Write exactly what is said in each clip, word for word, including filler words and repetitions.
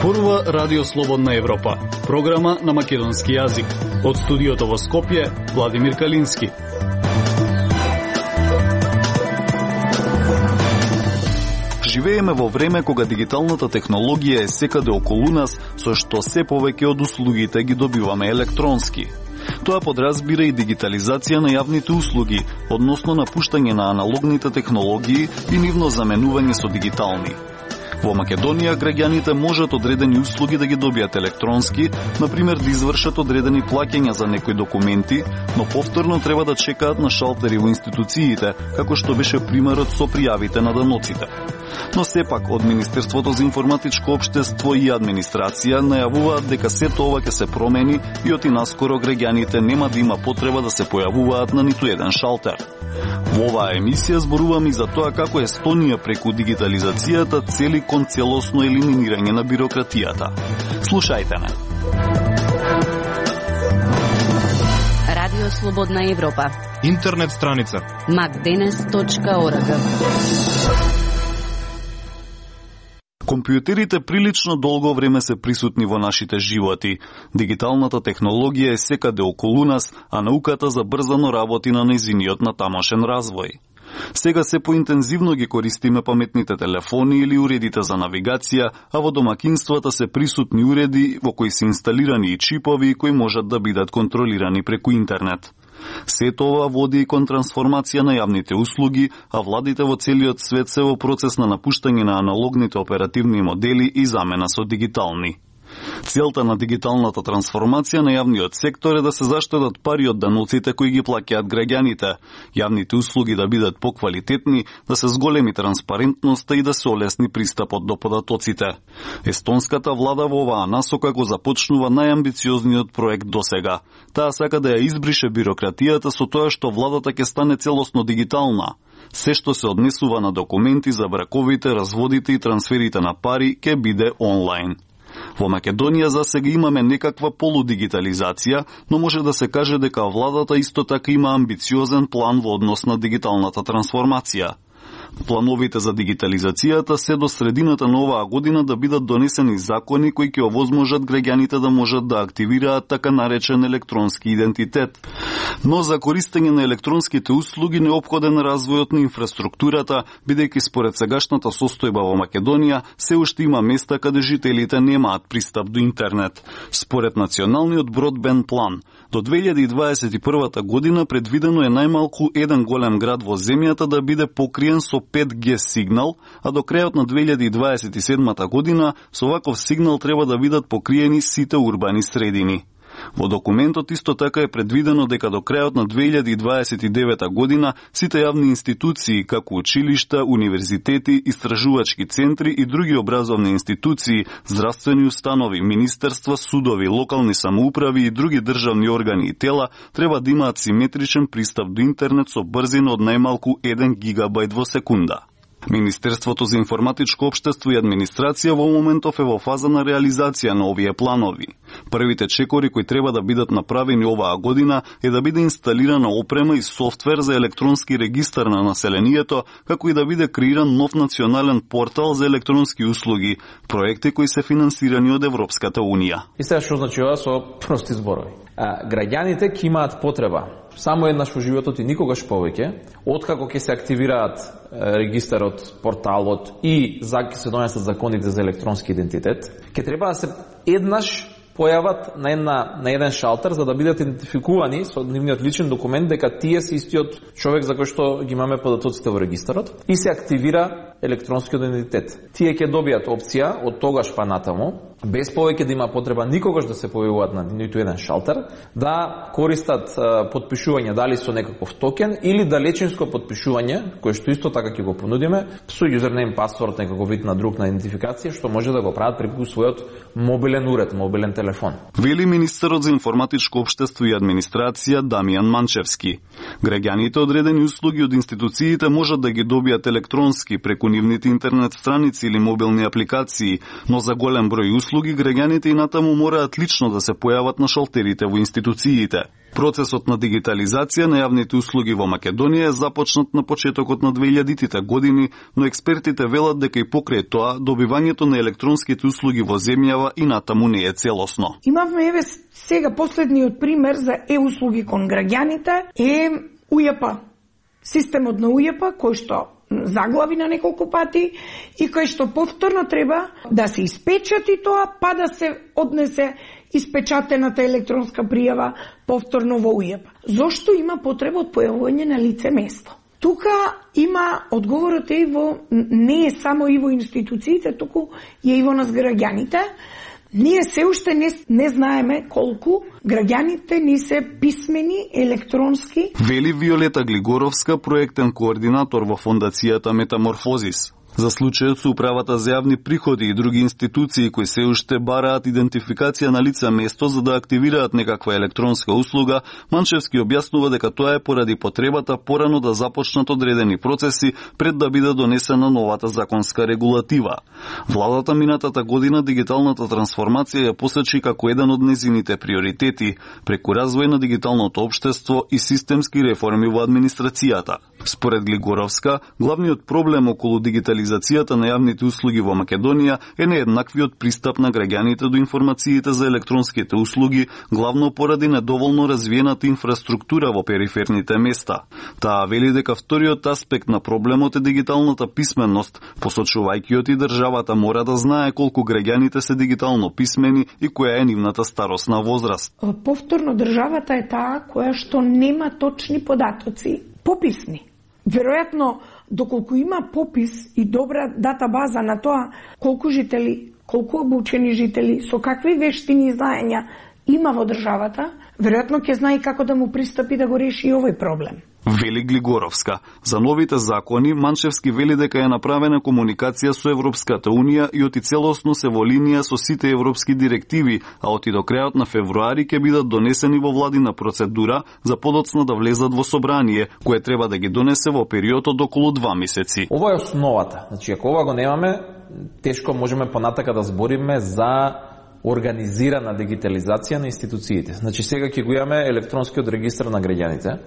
Зборува Радио Слободна Европа, програма на македонски јазик. Од студиото во Скопје, Владимир Калински. Живееме во време кога дигиталната технологија е секаде околу нас, со што се повеќе од услугите ги добиваме електронски. Тоа подразбира и дигитализација на јавните услуги, односно напуштање на аналогните технологии и нивно заменување со дигитални. Во Македонија граѓаните можат одредени услуги да ги добијат електронски, например да извршат одредени плаќања за некои документи, но повторно треба да чекаат на шалтери во институциите, како што беше примерот со пријавите на даноците. Но сепак од Министерството за информатичко општество и администрација најавуваат дека сето ова ќе се промени и оти наскоро граѓаните нема да има потреба да се појавуваат на ниту еден шалтер. Во оваа емисија зборуваме за тоа како Естонија преку дигитализацијата цели кон целосно елиминирање на бирократијата. Слушајте ме. Радио Слободна Европа. Интернет страница макденес точка орг. Компјутерите прилично долго време се присутни во нашите животи. Дигиталната технологија е секаде околу нас, а науката забрзано работи на нејзиниот натамошен развој. Сега се поинтензивно ги користиме паметните телефони или уредите за навигација, а во домакинствата се присутни уреди во кои се инсталирани и чипови кои можат да бидат контролирани преку интернет. Сето ова води и кон трансформација на јавните услуги, а владите во целиот свет се во процес на напуштање на аналогните оперативни модели и замена со дигитални. Целта на дигиталната трансформација на јавниот сектор е да се заштедат пари од даноците кои ги плаќаат граѓаните, јавните услуги да бидат поквалитетни, да се зголеми транспарентноста и да се олесни пристапот до податоците. Естонската влада во оваа насока го започнува најамбициозниот проект досега. Таа сака да ја избрише бирократијата со тоа што владата ќе стане целосно дигитална. Се што се однесува на документи за браковите, разводите и трансферите на пари ќе биде онлайн. Во Македонија за сега имаме некаква полудигитализација, но може да се каже дека владата исто така има амбициозен план во однос на дигиталната трансформација. Плановите за дигитализацијата се до средината на оваа година да бидат донесени закони кои ќе овозможат граѓаните да можат да активираат така наречен електронски идентитет. Но за користење на електронските услуги неопходен развојот на инфраструктурата, бидејќи според сегашната состојба во Македонија се уште има места каде жителите немаат пристап до интернет. Според националниот бродбенд план, до две илјади и дваесет и прва година предвидено е најмалку еден голем град во земјата да биде покриен со пет ге сигнал, а до крајот на две илјади и дваесет и седма година со ваков сигнал треба да бидат покриени сите урбани средини. Во документот исто така е предвидено дека до крајот на две илјади и дваесет и девета година сите јавни институции, како училишта, универзитети, истражувачки центри и други образовни институции, здравствени установи, министерства, судови, локални самоуправи и други државни органи и тела треба да имаат симетричен пристап до интернет со брзина од најмалку еден гигабајт во секунда. Министерството за информатичко општество и администрација во моментов е во фаза на реализација на овие планови. Првите чекори кои треба да бидат направени оваа година е да биде инсталирана опрема и софтвер за електронски регистар на населението, како и да биде креиран нов национален портал за електронски услуги, проекти кои се финансирани од Европската Унија. И сега што значи ова со прости зборови? А, граѓаните ќе имаат потреба само еднаш во животот и никогаш повеќе, откако ќе се активираат регистарот, порталот и за ќе се донесат законите за електронски идентитет, ќе треба да се еднаш појават на, една, на еден шалтер за да бидат идентификувани со нивниот личен документ дека тие се истиот човек за кој што ги имаме податоците во регистарот и се активира електронскиот идентитет. Тие ќе добијат опција од тогаш па натаму, без повеќе да има потреба никогаш да се појавуваат на ниту еден шалтер, да користат а, подпишување дали со некаков токен или далечинско подпишување, кое што исто така ќе го понудиме, со юзернейм, пасворд, некаков вид на друг на идентификација, што може да го прават преку својот мобилен уред, мобилен телефон. Вели министерот за информатичко општество и администрација Дамијан Манчевски. Граѓаните одредени услуги од институциите можат да ги добијат електронски преку нивните интернет страници или мобилни апликации, но за голем број услуги услуги, граѓаните и натаму мораат лично да се појават на шалтерите во институциите. Процесот на дигитализација на јавните услуги во Македонија е започнат на почетокот на две илјадитите години, но експертите велат дека и покрај тоа добивањето на електронските услуги во земјава и натаму не е целосно. Имавме еве сега последниот пример за е-услуги кон граѓаните е У Ј П. Системот на У Ј П кој што заглави на неколку пати и кој што повторно треба да се испечати тоа, па да се однесе испечатената електронска пријава повторно во У Ј П. Зошто има потреба од појавување на лице место? Тука има одговорот е и во, не е само и во институциите, туку е и во нас граѓаните. Ние се уште не, не знаеме колку граѓаните ни се писмени електронски. Вели Виолета Глигоровска, проектен координатор во фондацијата Метаморфозис. За случајот со управата за јавни приходи и други институции кои се уште бараат идентификација на лице место за да активираат некаква електронска услуга, Манчевски објаснува дека тоа е поради потребата порано да започнат одредени процеси пред да биде донесена новата законска регулатива. Владата минатата година дигиталната трансформација ја посочи како еден од незините приоритети, преку развој на дигиталното општество и системски реформи во администрацијата. Според Глигоровска, главниот проблем околу дигитализацијата на јавните услуги во Македонија е нееднаквиот пристап на граѓаните до информациите за електронските услуги, главно поради недоволно развиената инфраструктура во периферните места. Таа вели дека вториот аспект на проблемот е дигиталната писменост, посочувајќи од и државата мора да знае колку граѓаните се дигитално писмени и која е нивната старосна возраст. Повторно државата е таа која што нема точни податоци, пописни. Веројатно, доколку има попис и добра датабаза на тоа колку жители, колку обучени жители, со какви вештини и знаења има во државата, веројатно ќе знае како да му пристапи да го реши и овој проблем. Вели Глигоровска. За новите закони, Манчевски вели дека е направена комуникација со Европската Унија и оти целосно се во линија со сите европски директиви, а оти до крајот на февруари ќе бидат донесени во владина процедура за подоцна да влезат во собрание, кое треба да ги донесе во период од околу два месеци. Ова е основата. Значи, ако ова го немаме, тешко можеме понатака да збориме за организирана дигитализација на институциите. Значи, сега ќе го имаме електронскиот регистар на граѓаните,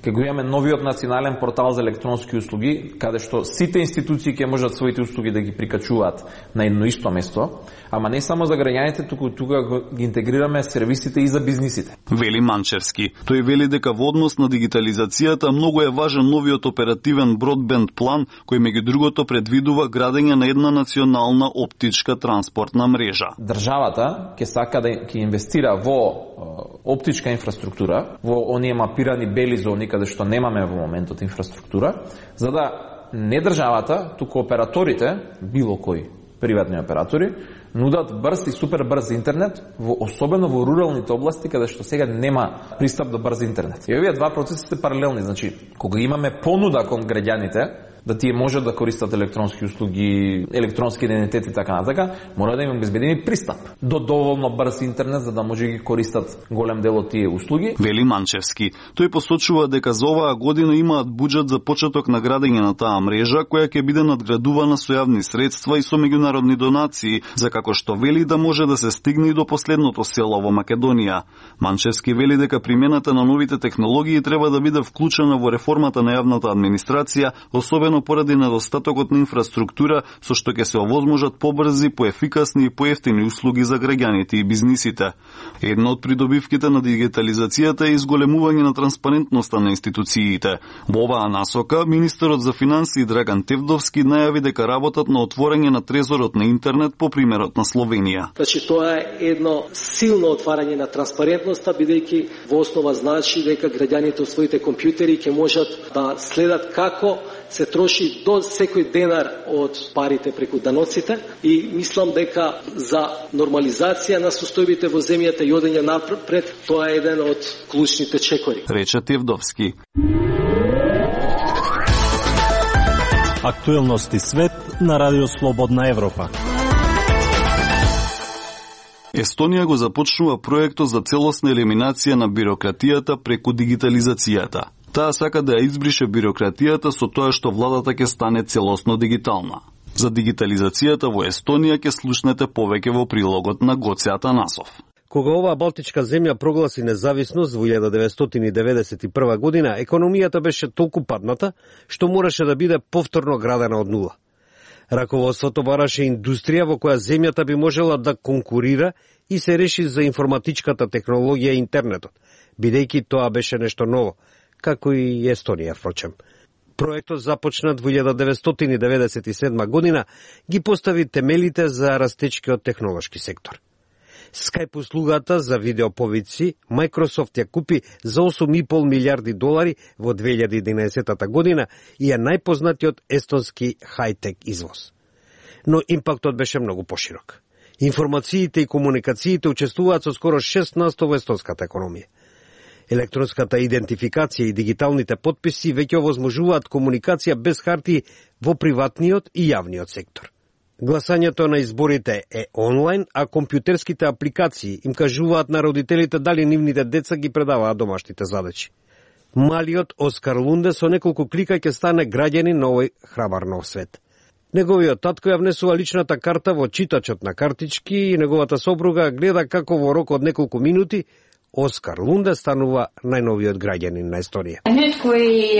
ќе го имаме новиот национален портал за електронски услуги, каде што сите институции ќе можат своите услуги да ги прикачуваат на едно исто место, ама не само за граѓаните, туку тука ги интегрираме сервисите и за бизнисите. Вели Манчевски. Тој вели дека во однос на дигитализацијата многу е важен новиот оперативен бродбенд план, кој меѓу другото предвидува градење на една национална оптичка транспортна мрежа. Државата ќе сака да ќе инвестира во оптичка инфраструктура, во оние мапирани бели зони каде што немаме во моментот инфраструктура, за да не државата, туку операторите, било кои приватни оператори, нудат брз и супер брз интернет, во, особено во руралните области, каде што сега нема пристап до брз интернет. И овие два процеси се паралелни, значи, кога имаме понуда кон граѓаните, да тие можат да користат електронски услуги, електронски идентитет и така натака, мора да им обезбедени пристап до доволно брз интернет за да може да ги користат голем дел од тие услуги. Вели Манчевски. Тој посочува дека за оваа година имаат буџет за почеток на градење на таа мрежа, која ќе биде надградувана со јавни средства и со меѓународни донации, за како што вели да може да се стигне и до последното село во Македонија. Манчевски вели дека примената на новите технологии треба да биде вклучена во реформата на јавната администрација, особено поради недостатокот на инфраструктура, со што ќе се овозможат побрзи, поефикасни и поевтини услуги за граѓаните и бизнисите. Една од придобивките на дигитализацијата е изголемување на транспарентноста на институциите. Во оваа насока, министерот за финансии Драган Тевдовски најави дека работат на отворање на трезорот на интернет по примерот на Словенија. Значи, тоа е едно силно отварање на транспарентноста, бидејќи во основа значи дека граѓаните од своите компјутери ќе можат да следат како се троши до секој денар од парите преку даноците и мислам дека за нормализација на состојбите во земјата и одење напред, тоа е еден од клучните чекори. Рече Тевдовски. Актуелности свет на Радио Слободна Европа. Естонија го започнува проектот за целосна елиминација на бирократијата преку дигитализацијата. Таа сака да ја избрише бирократијата со тоа што владата ќе стане целосно дигитална. За дигитализацијата во Естонија ќе слушнете повеќе во прилогот на Гоце Атанасов. Кога оваа балтичка земја прогласи независност во илјада деветстотини деведесет и прва година, економијата беше толку падната што мораше да биде повторно градена од нула. Раководството бараше индустрија во која земјата би можела да конкурира и се реши за информатичката технологија и интернетот, бидејќи тоа беше нешто ново, како и Естонија, впрочем. Проектот започнат во илјада деветстотини деведесет и седма година ги постави темелите за растечкиот технолошки сектор. Skype услугата за видеоповици Microsoft ја купи за осум и пол милиарди долари во две илјади и единаесетта година и е најпознатиот естонски хајтек извоз. Но импактот беше многу поширок. Информациите и комуникациите учествуваат со скоро шест на сто во естонската економија. Електронската идентификација и дигиталните потписи веќе овозможуваат комуникација без хартии во приватниот и јавниот сектор. Гласањето на изборите е онлайн, а компјутерските апликации им кажуваат на родителите дали нивните деца ги предаваат домашните задачи. Малиот Оскар Лунде со неколку клика ќе стане граѓанин на овој храбар нов свет. Неговиот татко ја внесува личната карта во читачот на картички и неговата сопруга гледа како во рок од неколку минути Оскар Лунде станува најновиот граѓанин на Естонија. Nüüd kui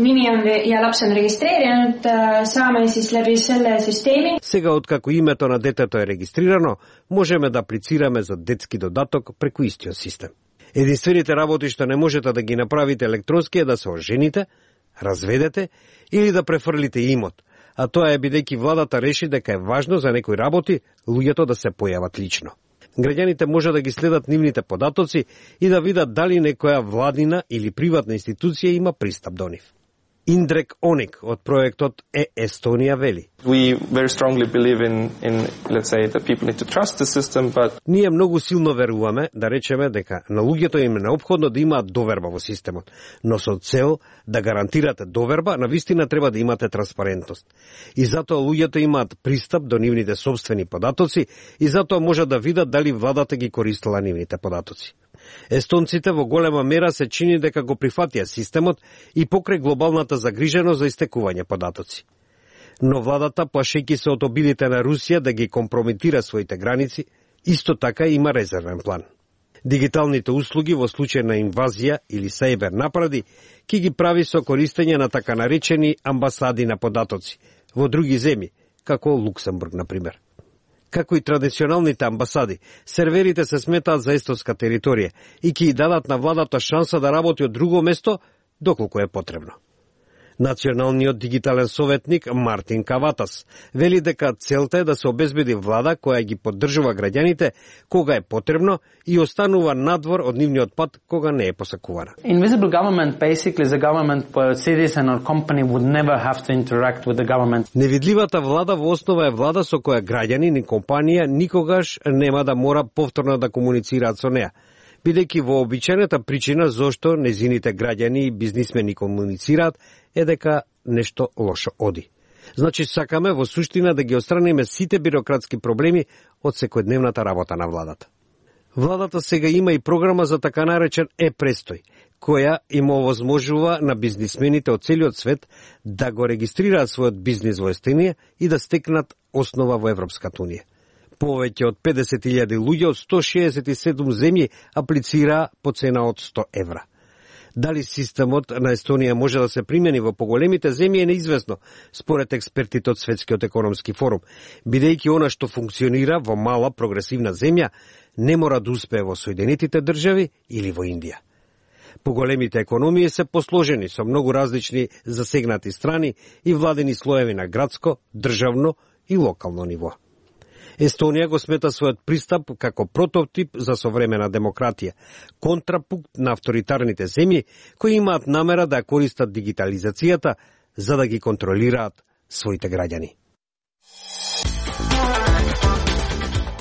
nimi on ja laps on registreerinud, saame siis läbi selle süsteemi. Сега откако името на детето е регистрирано, можеме да аплицираме за детски додаток преку истиот систем. Единствените работи што не можете да ги направите електронски е да се ожените, разведете или да префрлите имот, а тоа е бидејќи владата реши дека е важно за некои работи луѓето да се појават лично. Граѓаните може да ги следат нивните податоци и да видат дали некоја владина или приватна институција има пристап до нив. Индрек Оник од проектот Е Естонија вели: We very strongly believe in in let's say that people need to trust the system, but Ние многу силно веруваме, да речеме дека на луѓето им е неопходно да имаат доверба во системот, но со цел да гарантирате доверба, навистина треба да имате транспарентност. И затоа луѓето имаат пристап до нивните собствени податоци и затоа можат да видат дали владата ги користела нивните податоци. Естонците во голема мера се чини дека го прифатија системот и покрај глобалната загриженост за истекување податоци. Но владата, плашејќи се од обидите на Русија да ги компрометира своите граници, исто така има резервен план. Дигиталните услуги во случај на инвазија или сајбер напади ќе ги прави со користење на така наречени амбасади на податоци во други земји, како Луксембург, например. Како и традиционалните амбасади, серверите се сметаат за естонска територија и ќе ја дадат на владата шанса да работи од друго место доколку е потребно. Националниот дигитален советник Мартин Каватас вели дека целта е да се обезбеди влада која ги поддржува граѓаните кога е потребно и останува надвор од нивниот пат кога не е посакувана. Invisible government basically is a government where a citizen or company would never have to interact with the government. Невидливата влада во основа е влада со која граѓани и компанија никогаш нема да мора повторно да комуницираат со неа, бидејќи вообичаената причина зошто незините граѓани и бизнисмени комуницираат е дека нешто лошо оди. Значи сакаме во суштина да ги отстраниме сите бирократски проблеми од секојдневната работа на владата. Владата сега има и програма за така наречен Е-престој, која им овозможува на бизнисмените од целиот свет да го регистрираат својот бизнис во Естонија и да стекнат основа во Европската унија. Повеќе од педесет илјади луѓе од сто шеесет и седум земји аплицираа по цена од сто евра. Дали системот на Естонија може да се примени во поголемите земји е неизвестно, според експертите од Светскиот економски форум, бидејќи она што функционира во мала прогресивна земја не мора да успее во Соединетите држави или во Индија. Поголемите економии се посложени со многу различни засегнати страни и владени слоеви на градско, државно и локално ниво. Естонија го смета својот пристап како прототип за современа демократија, контрапункт на авторитарните земји кои имаат намера да користат дигитализацијата за да ги контролираат своите граѓани.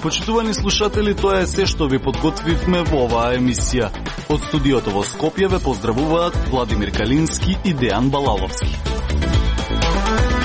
Почитувани слушатели, тоа е се што ви подготвивме во оваа емисија. Од студиото во Скопје ве поздравуваат Владимир Калински и Дејан Балаловски.